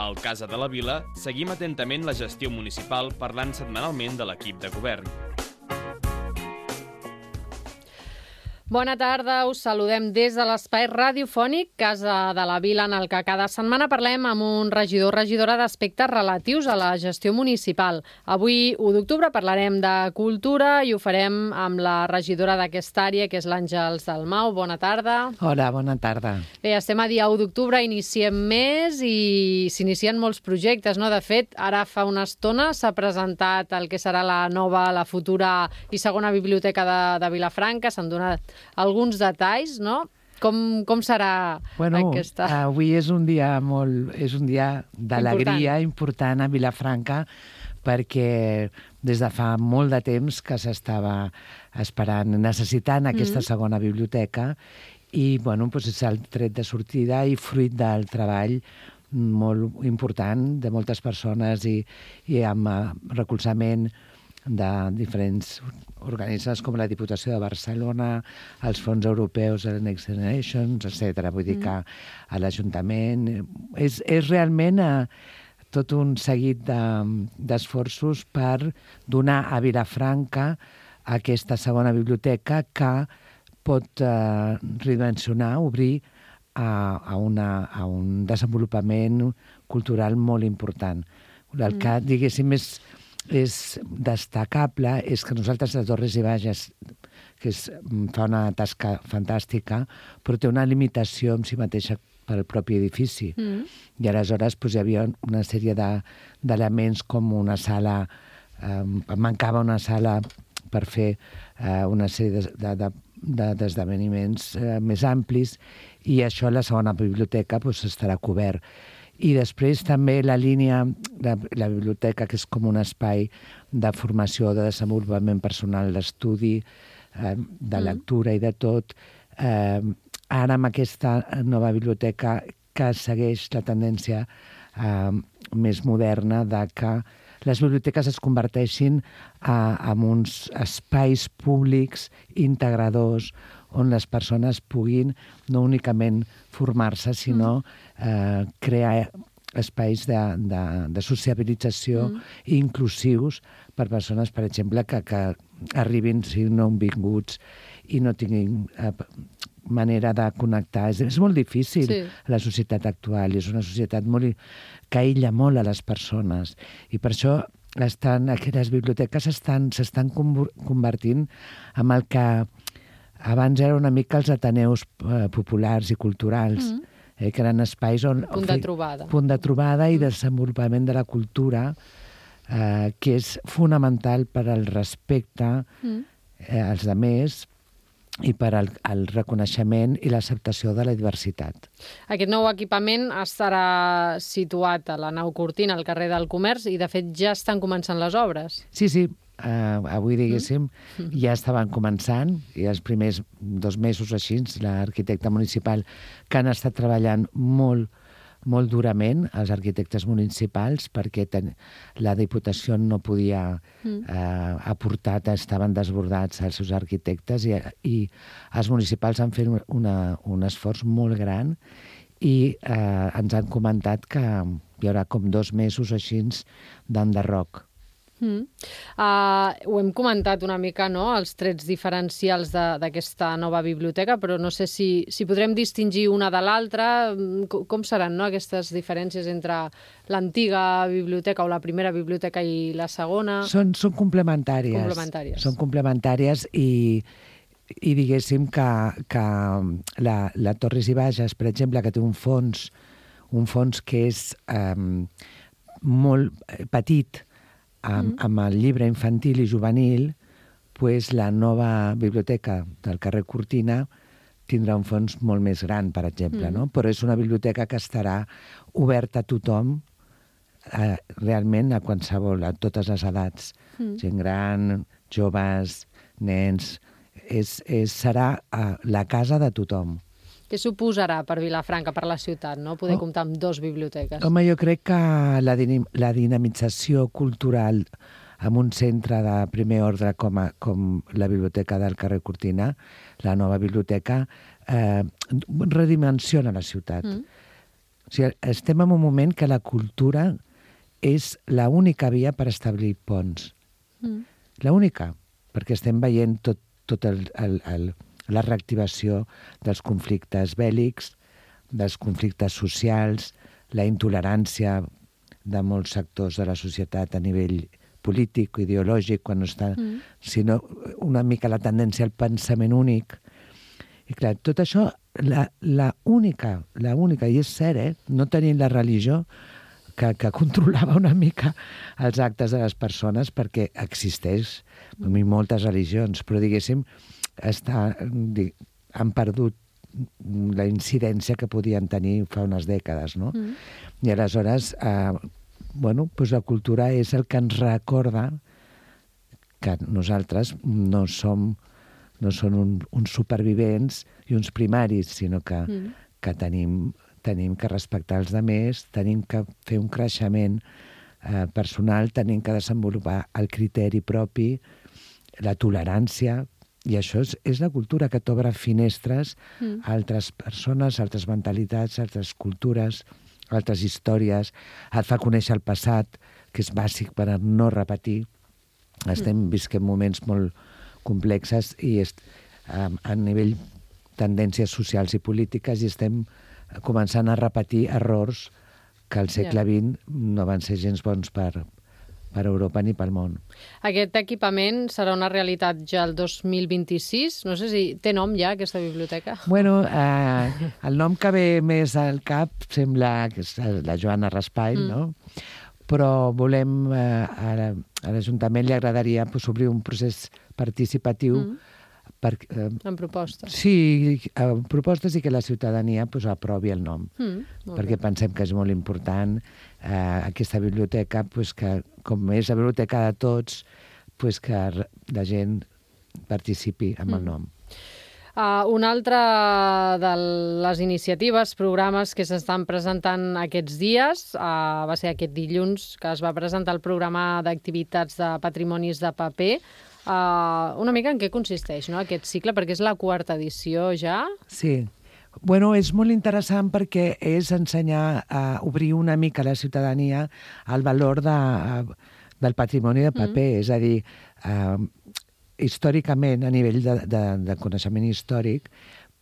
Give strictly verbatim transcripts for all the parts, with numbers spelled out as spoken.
Al Casa de la Vila seguim atentament la gestió municipal parlant setmanalment de l'equip de govern. Bona tarda, us saludem des de l'espai radiofònic Casa de la Vila, en el que cada setmana parlem amb un regidor o regidora d'aspectes relatius a la gestió municipal. Avui, u d'octubre, parlarem de cultura i ho farem amb la regidora d'aquesta àrea, que és l'Àngels Dalmau. Bona tarda. Hola, bona tarda. Bé, estem a dia u d'octubre, iniciem mes i s'inicien molts projectes, no? De fet, ara fa una estona s'ha presentat el que serà la nova, la futura i segona biblioteca de, de Vilafranca. S'han donat alguns detalls, no? Com, com serà bueno, aquesta... Avui és un dia molt, és un dia d'alegria important. important a Vilafranca, perquè des de fa molt de temps que s'estava esperant, necessitant aquesta mm-hmm. segona biblioteca, i bueno, doncs és el tret de sortida i fruit del treball molt important de moltes persones i, i amb recolzament de diferents organismes com la Diputació de Barcelona, els fons europeus de Next Generation, etcètera. Vull dir que a l'Ajuntament és, és realment eh, tot un seguit d'esforços de, per donar a Vilafranca aquesta segona biblioteca que pot eh, redimensionar, obrir a, a, una, a un desenvolupament cultural molt important. El que, diguéssim, és és destacable és que nosaltres a Torres i Bages, que és, fa una tasca fantàstica, però té una limitació en si mateixa pel propi edifici. Mm. I aleshores doncs, hi havia una sèrie d'elements de, com una sala, eh, mancava una sala per fer eh, una sèrie d'esdeveniments de, de, de, eh, més amplis, i això a la segona biblioteca doncs, estarà cobert. I després també la línia, la, la biblioteca, que és com un espai de formació, de desenvolupament personal, d'estudi, eh, de lectura i de tot. Eh, ara amb aquesta nova biblioteca que segueix la tendència eh, més moderna de que les biblioteques es converteixin a, en uns espais públics integradors on les persones puguin no únicament formar-se, sinó eh, crear espais de, de, de sociabilització mm. inclusius per persones, per exemple, que, que arribin, si no vinguts i no tinguin eh, manera de connectar. És, és molt difícil, sí. La societat actual. És una societat molt, que aïlla molt a les persones. I per això estan, aquelles biblioteques s'estan convertint en el que abans era una mica els ateneus eh, populars i culturals, mm. eh, que eren espais on... Punt de trobada. Punt de trobada i desenvolupament de la cultura, eh, que és fonamental per al respecte mm. eh, als altres i per al, al reconeixement i l'acceptació de la diversitat. Aquest nou equipament estarà situat a la nau Cortina, al carrer del Comerç, i de fet ja estan començant les obres. Sí, sí. Uh, avui, diguéssim, mm. ja estaven començant, i els primers dos mesos així, l'arquitecte municipal, que han estat treballant molt, molt durament, els arquitectes municipals, perquè ten... la Diputació no podia mm. uh, aportar, estaven desbordats els seus arquitectes, i, i els municipals han fet una, un esforç molt gran, i uh, ens han comentat que hi haurà com dos mesos així d'enderroc. Mm. Uh, ho hem comentat una mica, no?, els trets diferencials d'aquesta nova biblioteca, però no sé si, si podrem distingir una de l'altra. Com, com seran, no?, aquestes diferències entre l'antiga biblioteca o la primera biblioteca i la segona? Són, són complementàries. Complementàries. Són complementàries i, i diguéssim que, que la, la Torres i Bages, per exemple, que té un fons, un fons que és eh, molt petit, Amb, mm. amb el llibre infantil i juvenil, pues la nova biblioteca del carrer Cortina tindrà un fons molt més gran, per exemple, mm. no? Però és una biblioteca que estarà oberta a tothom, eh, realment a qualsevol, a totes les edats. Mm. Gent gran, joves, nens... És, és, serà eh, la casa de tothom. Què suposarà per Vilafranca, per la ciutat, no?, poder oh. comptar amb dos biblioteques? Home, jo crec que la, la dinamització cultural en un centre de primer ordre com, a, com la biblioteca del carrer Cortina, la nova biblioteca, eh, redimensiona la ciutat. Mm. O sigui, estem en un moment que la cultura és l'única via per establir ponts. Mm. L'única, perquè estem veient tot, tot el, el, el, la reactivació dels conflictes bèl·lics, dels conflictes socials, la intolerància de molts sectors de la societat a nivell polític, ideològic, quan no està, mm. sinó una mica la tendència al pensament únic. I clar, tot això, la, la única, la única, i és cert, eh? No tenint la religió que, que controlava una mica els actes de les persones, perquè existeix mm. moltes religions, però diguéssim, està, han perdut la incidència que podien tenir fa unes dècades, no? Mm. I aleshores, eh, bueno, doncs la cultura és el que ens recorda que nosaltres no som no són un, uns supervivents i uns primaris, sinó que, mm. que tenim, tenim que respectar els altres, tenim que fer un creixement eh, personal, tenim que desenvolupar el criteri propi, la tolerància, i això és, és la cultura que t'obre finestres mm. a altres persones, a altres mentalitats, a altres cultures, a altres històries, et fa conèixer el passat, que és bàsic per a no repetir. Estem mm. visquent moments molt complexes i est, a, a nivell tendències socials i polítiques i estem començant a repetir errors que al segle vint no van ser gens bons per, per Europa ni pel món. Aquest equipament serà una realitat ja el dos mil vint-i-sis? No sé si té nom ja, aquesta biblioteca. Bueno, eh, el nom que ve més al cap sembla que és la Joana Raspall, mm. no? Però volem, eh, a, a l'Ajuntament li agradaria pues, obrir un procés participatiu. Mm. Per, eh, en propostes. Sí, en propostes i que la ciutadania pues, aprovi el nom. Mm, perquè bé. Pensem que és molt important eh, aquesta biblioteca, pues, que com és la biblioteca de tots, pues, que la gent participi amb mm. el nom. Uh, una altra de les iniciatives, programes que s'estan presentant aquests dies, uh, va ser aquest dilluns que es va presentar el programa d'activitats de patrimonis de paper. Uh, una mica en què consisteix, no?, aquest cicle, perquè és la quarta edició ja. Sí. Bueno, és molt interessant perquè és ensenyar a obrir una mica a la ciutadania el valor de, del patrimoni de paper, mm. és a dir, uh, històricament, a nivell de, de, de coneixement històric,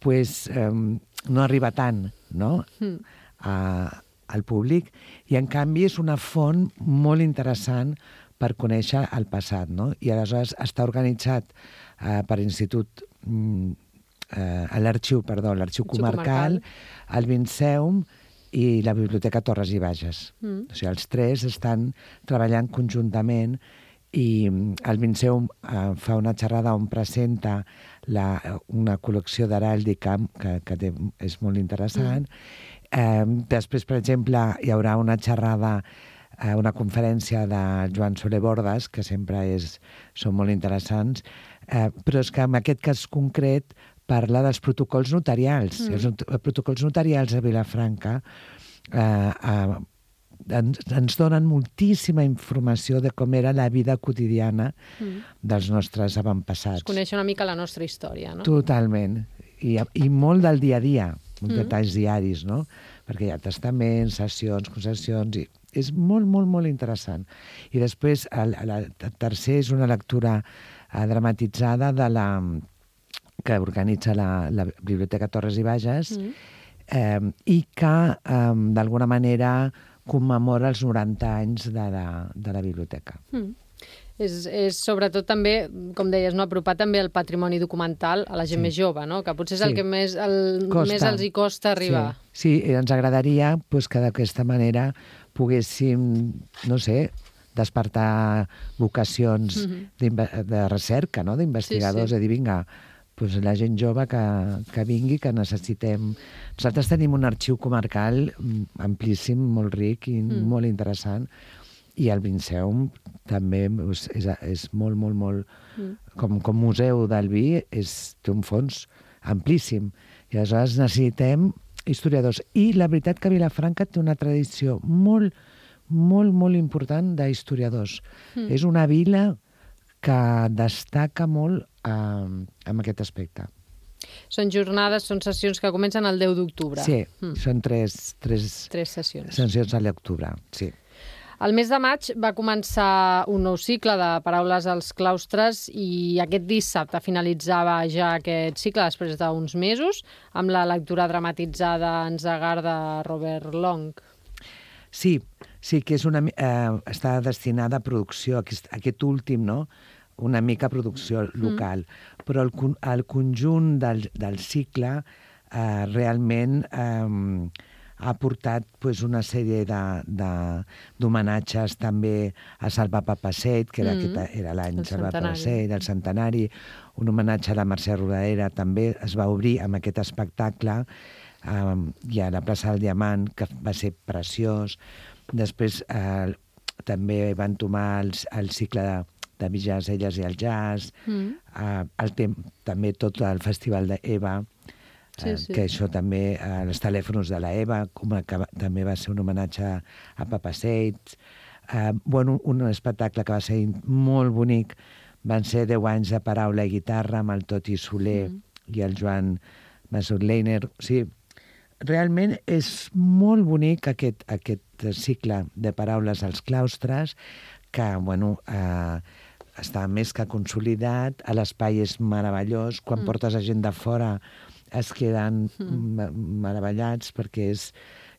pues, eh, no arriba tant, no?, mm. a, al públic, i en canvi és una font molt interessant per conèixer el passat, no? I aleshores està organitzat eh, per Institut, eh, l'Arxiu, perdó, l'Arxiu Comarcal, comarcal, el Vinceum i la Biblioteca Torres i Bages. Mm. O sigui, els tres estan treballant conjuntament i el Vinceum eh, fa una xerrada on presenta la, una col·lecció d'heràldica que, que té, és molt interessant. Mm. Eh, després, per exemple, hi haurà una xerrada, eh, una conferència de Joan Soler Bordas, que sempre és, són molt interessants, eh, però és que en aquest cas concret parla dels protocols notarials. Mm. Els protocols notarials a Vilafranca eh, eh, ens, ens donen moltíssima informació de com era la vida quotidiana mm. dels nostres avantpassats. Es coneix una mica la nostra història, no? Totalment. I, i molt del dia a dia, mm. detalls diaris, no? Perquè hi ha testaments, sessions, concessions, i és molt, molt, molt interessant. I després, el, el, el tercer és una lectura eh, dramatitzada de la, que organitza la, la Biblioteca Torres i Bages, mm. eh, i que, eh, d'alguna manera, commemora els noranta anys de la, de la biblioteca. Mm. És, és sobretot també, com deies, no, apropar també el patrimoni documental a la gent sí. més jove, no? Que potser és sí. el que més, el, més els hi costa arribar. Sí, sí, ens agradaria pues, que d'aquesta manera poguéssim, no sé, despertar vocacions mm-hmm. de recerca, no? D'investigadors, sí, sí. a dir, vinga, pues la gent jove que, que vingui, que necessitem... Nosaltres tenim un arxiu comarcal amplíssim, molt ric i mm. molt interessant, i el Vinceum també és, és, és molt, molt, molt... Mm. Com, com museu del vi, és, té un fons amplíssim. I aleshores necessitem historiadors. I la veritat que Vilafranca té una tradició molt, molt, molt important d'historiadors. Mm. És una vila que destaca molt eh, en aquest aspecte. Són jornades, són sessions que comencen el deu d'octubre. Sí, mm. són tres, tres, tres sessions. sessions a l'octubre, sí. El mes de maig va començar un nou cicle de Paraules als claustres i aquest dissabte finalitzava ja aquest cicle després d'uns mesos amb la lectura dramatitzada en Zagar de Robert Long. Sí, sí que és una, eh, està destinada a producció, aquest, aquest últim, no? Una mica a producció local. Mm. Però el, el conjunt del, del cicle eh, realment eh, ha portat pues, una sèrie d'homenatges també a Salva Papasseit, que era, mm. era l'any Salva Papasseit, el centenari, un homenatge a la Mercè Rodoreda també es va obrir amb aquest espectacle. Um, i a la plaça del Diamant, que va ser preciós. Després eh, també van tomar el, el cicle de, de Villas, elles i el jazz, mm. eh, el tem, també tot el festival d'Eva, eh, sí, sí. que això també, eh, els telèfons de la Eva, com que va, també va ser un homenatge a Papasseit. Eh, bueno, un espectacle que va ser molt bonic, van ser deu anys de paraula i guitarra amb el Toti Soler mm. i el Joan Masur-Leiner. O sigui, realment és molt bonic aquest, aquest cicle de Paraules als claustres, que bueno, eh, està més que consolidat, l'espai és meravellós, quan mm. portes a gent de fora es queden mm. meravellats perquè és,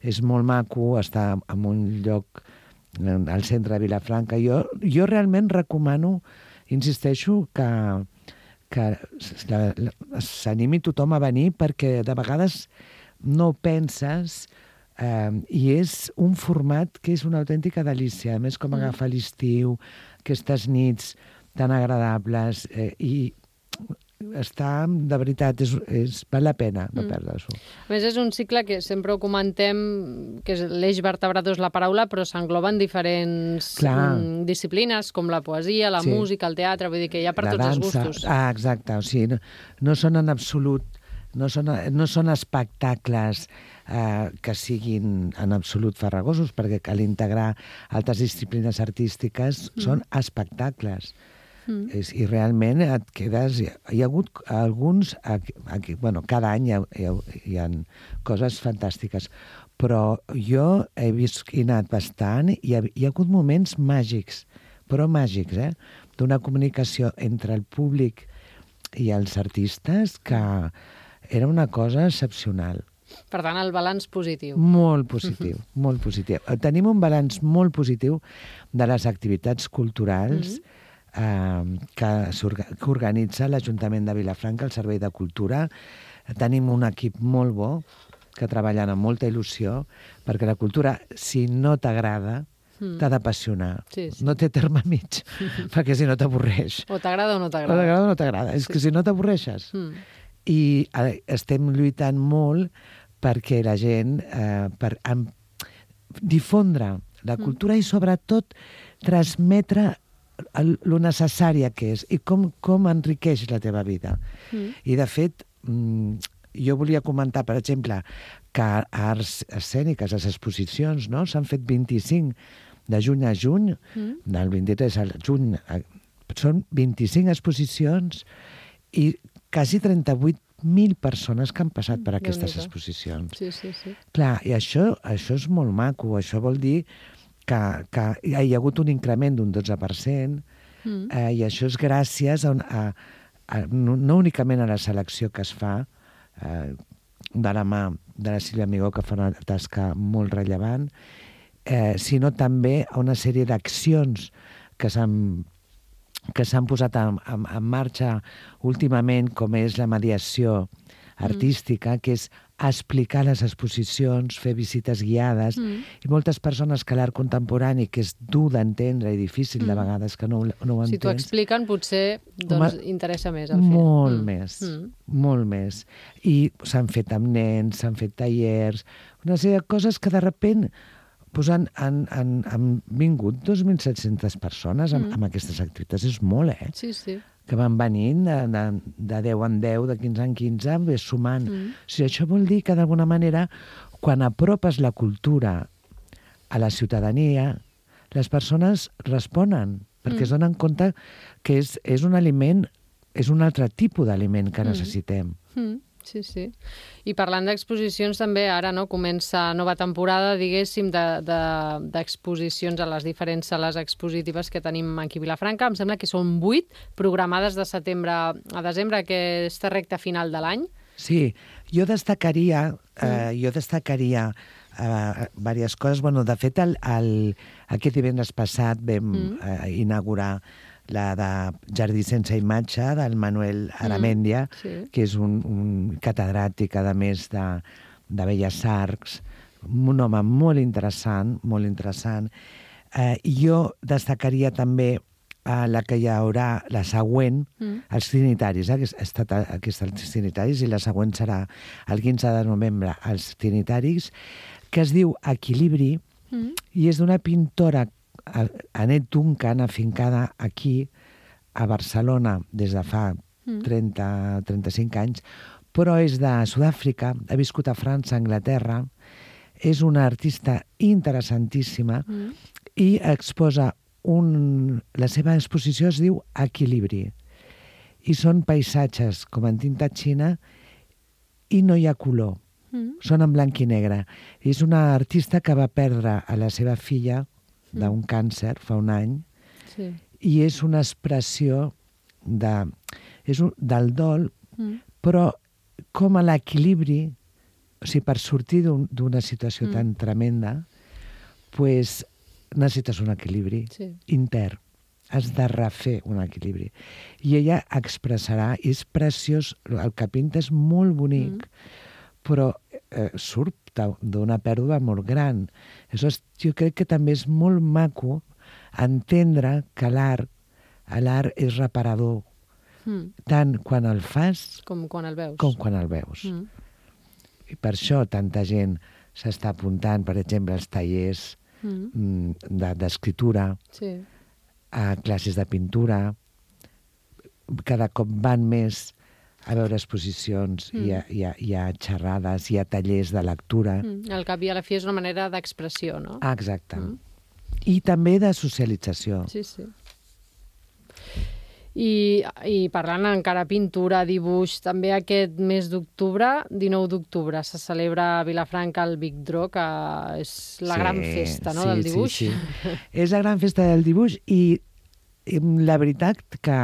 és molt maco, està en un lloc al centre de Vilafranca. Jo, jo realment recomano, insisteixo, que, que s'animi tothom a venir perquè de vegades no penses, eh, i és un format que és una autèntica delícia. A més, com mm. agafar l'estiu, aquestes nits tan agradables, eh, i està, de veritat, és, és, val la pena no mm. perdre-s'ho. A més, és un cicle que sempre ho comentem, que l'eix vertebrador és la paraula, però s'engloben diferents mm, disciplines, com la poesia, la sí. música, el teatre, vull dir que hi ha per la tots dansa. Els gustos. Ah, exacte, o sigui, no, no són en absolut No són, no són espectacles eh, que siguin en absolut farragosos, perquè cal integrar altres disciplines artístiques, mm. són espectacles. Mm. És, I realment et quedes... Hi ha, hi ha hagut alguns... Aquí, aquí, bueno, cada any hi ha, hi, ha, hi ha coses fantàstiques, però jo he vist i anat bastant i hi ha, hi ha hagut moments màgics, però màgics, eh? D'una comunicació entre el públic i els artistes que... Era una cosa excepcional. Per tant, el balanç positiu. Molt positiu, uh-huh. molt positiu. Tenim un balanç molt positiu de les activitats culturals uh-huh. eh, que, que organitza l'Ajuntament de Vilafranca, el Servei de Cultura. Tenim un equip molt bo que treballen amb molta il·lusió, perquè la cultura, si no t'agrada, mm. t'ha d'apassionar. Sí, sí. No té terme mig, perquè si no t'avorreix. O t'agrada o no t'agrada. O t'agrada o no t'agrada. És sí. que si no t'avorreixes. Mm. I estem lluitant molt perquè la gent, eh, per amb, difondre la cultura mm. i sobretot transmetre el, lo necessària que és i com, com enriqueix la teva vida. Mm. I de fet, jo volia comentar, per exemple, que a Arts Escèniques, les exposicions, no? S'han fet vint-i-cinc de juny a juny, mm. del vint-i-tres al juny, són vint-i-cinc exposicions i quasi trenta-vuit mil persones que han passat per aquestes exposicions. Sí, sí, sí. Clar, i això, això és molt maco. Això vol dir que, que hi ha hagut un increment d'un dotze per cent mm. eh, i això és gràcies a, a, a, no, no únicament a la selecció que es fa eh, de la mà de la Sílvia Amigó, que fa una tasca molt rellevant, eh, sinó també a una sèrie d'accions que s'han que s'han posat en, en, en marxa últimament, com és la mediació artística, mm. que és explicar les exposicions, fer visites guiades, mm. i moltes persones que l'art contemporani, que és dur d'entendre i difícil mm. de vegades que no, no ho entens... Si t'ho expliquen, potser doncs, Home, interessa més el fer. Molt mm. més, mm. molt més. I s'han fet amb nens, s'han fet tallers, una sèrie de coses que de sobte pues han, han, han, han vingut dos mil set-centes persones amb, mm. amb aquestes activitats. És molt, eh? Sí, sí. Que van venint de, de, de deu en deu, de quinze en quinze, ves sumant. Mm. O sigui, això vol dir que, d'alguna manera, quan apropes la cultura a la ciutadania, les persones responen, perquè mm. es donen compte que és, és un aliment és un altre tipus d'aliment que necessitem. Mm. Sí, sí. I parlant d'exposicions també, ara no comença nova temporada, diguéssim, d'exposicions de, de, a les diferents sales expositives que tenim aquí a Vilafranca. Em sembla que són vuit programades de setembre a desembre, aquesta recta final de l'any. Sí, jo destacaria, eh, jo destacaria eh, diverses coses. Bueno, de fet, el, el, aquest divendres passat vam mm. eh, inaugurar la de Jardí sense imatge, del Manuel Aramendia, mm, sí. que és un, un catedràtic, a més, de, de Belles Arts, un home molt interessant, molt interessant. Eh, jo destacaria també eh, la que hi haurà, la següent, mm. els Trinitaris, eh, que ha estat aquesta, els Trinitaris, i la següent serà el quinze de novembre, els Trinitaris, que es diu Equilibri, mm. i és d'una pintora, Annette Duncan, afincada aquí, a Barcelona, des de fa trenta a trenta-cinc anys, però és de Sud-àfrica, ha viscut a França, a Anglaterra, és una artista interessantíssima mm. i exposa un... La seva exposició es diu Equilibri, i són paisatges com en tinta xina i no hi ha color, mm. són en blanc i negre. És una artista que va perdre a la seva filla d'un càncer fa un any, sí. i és una expressió de, és un, del dol, mm. però com a l'equilibri, o sigui, per sortir d'una un, situació mm. tan tremenda, pues, necessites un equilibri sí. intern. Has de refer un equilibri. I ella expressarà, és preciós, el que pinta és molt bonic, mm. però eh, surt d'una pèrdua molt gran. Aleshores, jo crec que també és molt maco entendre que l'art, l'art és reparador, mm. tant quan el fas com quan el veus. Com quan el veus. Mm. I per això tanta gent s'està apuntant, per exemple, als tallers mm. d'escriptura, sí. a classes de pintura, cada cop van més a veure exposicions, mm. hi, ha, hi, ha, hi ha xerrades, hi ha tallers de lectura. Mm. Al cap i a la fi és una manera d'expressió, no? Ah, exacte. Mm. I també de socialització. Sí, sí. I, I parlant encara pintura, dibuix, també aquest mes d'octubre, dinou d'octubre, se celebra a Vilafranca el Big Draw, que és la sí, gran festa, no?, sí, del dibuix. Sí, sí. És la gran festa del dibuix i, i la veritat que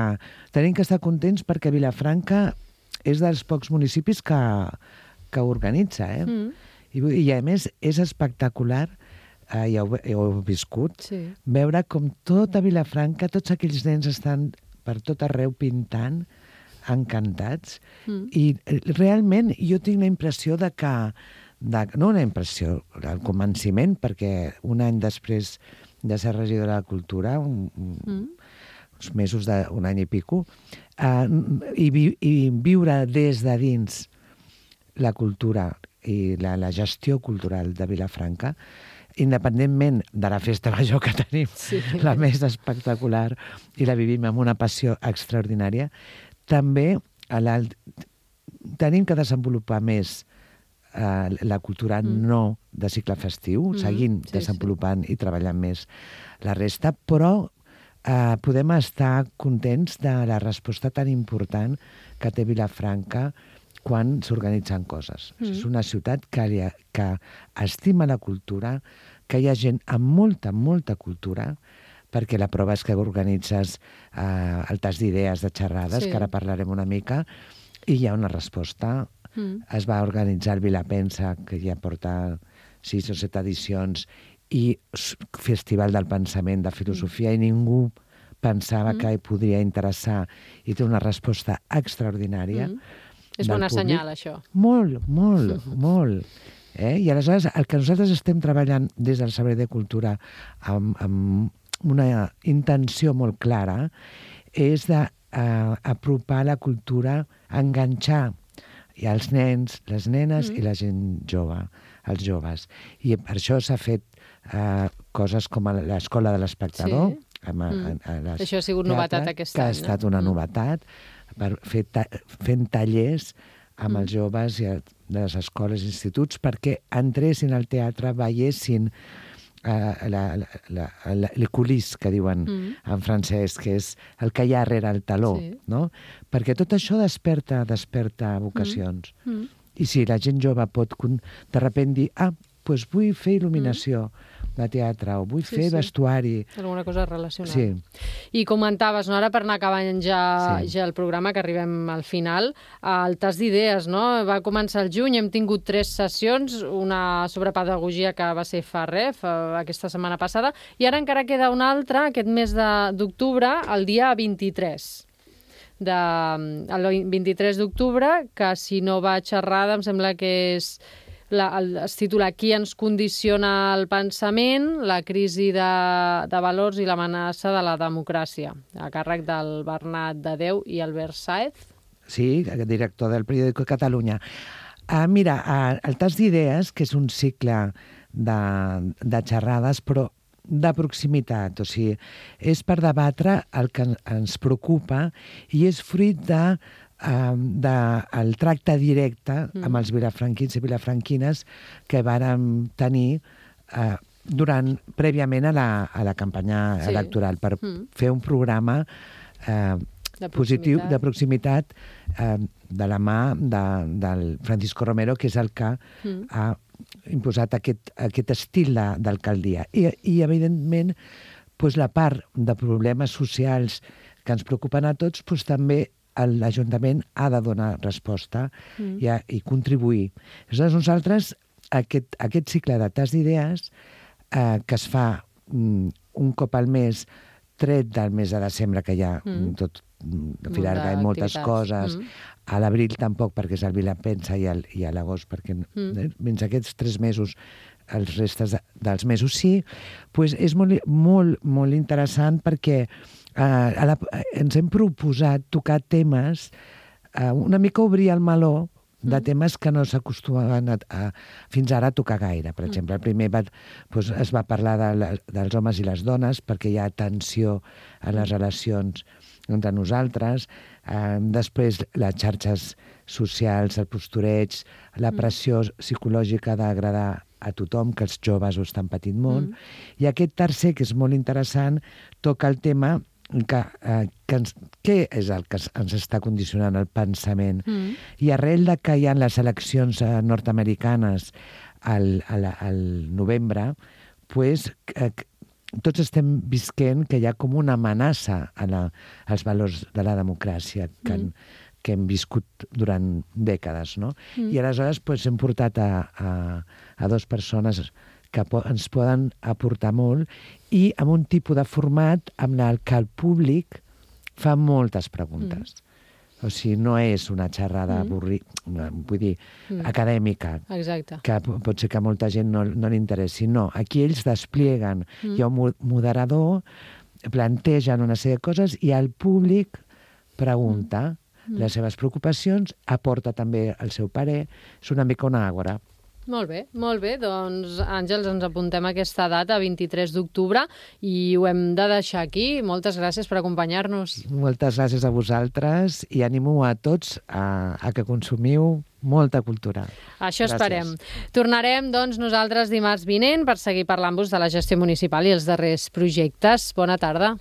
tenim que estar contents perquè Vilafranca és dels pocs municipis que, que organitza, eh? Mm. I, I, a més, és espectacular, eh, ja ho, ja ho heu viscut, sí. veure com tota Vilafranca, tots aquells nens estan per tot arreu pintant, encantats, mm. i realment jo tinc la impressió de que, de, no una impressió, al convenciment, perquè un any després de ser regidora de Cultura, un, mm. uns mesos d'un any i pico, Uh, i, vi, i viure des de dins la cultura i la, la gestió cultural de Vilafranca, independentment de la festa major que tenim, sí. la més espectacular, i la vivim amb una passió extraordinària, també tenim que desenvolupar més uh, la cultura mm. no de cicle festiu, mm. seguint sí, desenvolupant sí. i treballant més la resta, però Uh, podem estar contents de la resposta tan important que té Vilafranca quan s'organitzen coses. Mm. És una ciutat que, ha, que estima la cultura, que hi ha gent amb molta, molta cultura, perquè la prova és que organitzes uh, el tas d'idees, de xerrades, sí. que ara parlarem una mica, i hi ha una resposta. Mm. Es va organitzar el Vilapensa, que ja porta sis o set edicions, i Festival del Pensament de Filosofia, mm. i ningú pensava mm. que podria interessar, i té una resposta extraordinària. Mm. És bona públic. Senyal, això. Molt, molt, mm. molt. Eh? I aleshores el que nosaltres estem treballant des del Servei de Cultura amb, amb una intenció molt clara és d'apropar uh, la cultura, enganxar i els nens, les nenes mm. i la gent jove, els joves. I per això s'ha fet Uh, coses com a l'Escola de l'Espectador. Sí. Amb, mm. a, a Això ha sigut teatre, novetat aquest any. Que any. ha estat una mm. novetat, per fer ta fent tallers amb mm. els joves i a, de les escoles i instituts perquè entressin al teatre, veiessin uh, la, la, la, la, le coulisses, que diuen mm. en francès, que és el que hi ha darrere el taló, sí. no? Perquè tot això desperta, desperta vocacions. Mm. Mm. I si la gent jove pot de sobte dir, ah, doncs vull fer il·luminació mm. de teatre, o vull sí, fer sí. vestuari. Alguna cosa relacionada. Sí. I comentaves, no, ara per anar acabant ja, sí. ja el programa, que arribem al final, el tas d'idees, no? Va començar el juny, hem tingut tres sessions, una sobre pedagogia que va ser fa res, aquesta setmana passada, i ara encara queda una altra, aquest mes d'octubre, el dia vint-i-tres. De, el vint-i-tres d'octubre, que si no vaig errada, em sembla que és la, el, es titula Qui ens condiciona el pensament, la crisi de, de valors i l'amenaça de la democràcia, a càrrec del Bernat de Déu i Albert Sáez. Sí, director del periòdico Catalunya. Uh, mira, uh, el tas d'idees, que és un cicle de, de xerrades, però de proximitat, o sigui, és per debatre el que ens preocupa i és fruit de, uh, de el tracte directe mm. amb els vilafranquins i vilafranquines que vàrem tenir uh, durant, prèviament a la, a la campanya sí. electoral, per mm. fer un programa uh, de positiu, de proximitat, uh, de la mà de, del Francisco Romero, que és el que mm. ha imposat aquest, aquest estil d'alcaldia. I, i evidentment, doncs, la part de problemes socials que ens preocupen a tots, doncs, també l'Ajuntament ha de donar resposta mm. i, a, i contribuir. Aleshores, nosaltres, aquest, aquest cicle de tas d'idees, eh, que es fa mm, un cop al mes, tret del mes de desembre, que hi ha mm. tot Filarga i moltes coses. Mm. A l'abril tampoc, perquè és el Vilapensa, i, el, i a l'agost, perquè mm. fins aquests tres mesos, els restes de, dels mesos sí, pues és molt, molt, molt interessant perquè eh, a la, ens hem proposat tocar temes, eh, una mica obrir el meló de mm. temes que no s'acostumaven a, a, fins ara a tocar gaire. Per exemple, el primer va, pues, es va parlar de la, dels homes i les dones, perquè hi ha tensió a les relacions entre nosaltres, eh, després les xarxes socials, el postureig, la pressió psicològica d'agradar a tothom, que els joves ho estan patint molt, mm. i aquest tercer, que és molt interessant, toca el tema que, eh, que ens, què és el que ens està condicionant el pensament. Mm. I arrel de que hi ha les eleccions eh, nord-americanes al, al, al novembre, pues, eh, tots estem visquent que hi ha com una amenaça a la, als valors de la democràcia que, mm. han, que hem viscut durant dècades, no? Mm. I aleshores pues, hem portat a, a, a dues persones que po ens poden aportar molt i amb un tipus de format amb el que el públic fa moltes preguntes. Mm. O sigui, no és una xerrada mm. avorrida, vull dir, mm. acadèmica, exacte. Que pot ser que a molta gent no, no li interessi. No, aquí ells desplieguen, mm. hi ha un moderador, plantegen una sèrie de coses i el públic pregunta mm. les seves preocupacions, aporta també el seu parer, és una mica una àgora. Molt bé, molt bé. Doncs, Àngels, ens apuntem aquesta data, vint-i-tres d'octubre, i ho hem de deixar aquí. Moltes gràcies per acompanyar-nos. Moltes gràcies a vosaltres i animo a tots a, a que consumiu molta cultura. Això gràcies. Esperem. Tornarem, doncs, nosaltres dimarts vinent per seguir parlant-vos de la gestió municipal i els darrers projectes. Bona tarda.